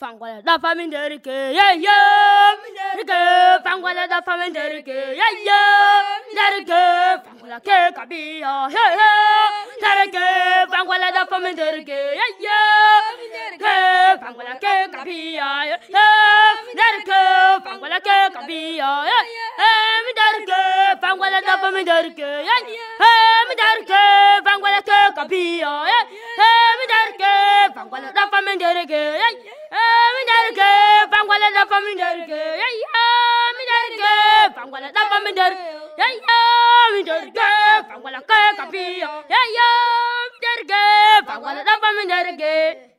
Fangwala da faminderike yeah yeah Derike fangwala da faminderike yeah yeah Derike fangwala ke kabiya hey hey Derike fangwala da faminderike yeah yeah Derike fangwala ke kabiya yeah yeah Derike fangwala ke kabiya yeah yeah Derike fangwala da faminderike yeah yeah Derike fangwala ke kabiya yeah yeah Derike fangwala da faminderike yeah yeah Derike fangwala da faminderike yeah yeah Derike fangwala da faminderike yeah yeah Derike fangwala ke kabiya yeah yeah Derike fangwala da faminderike.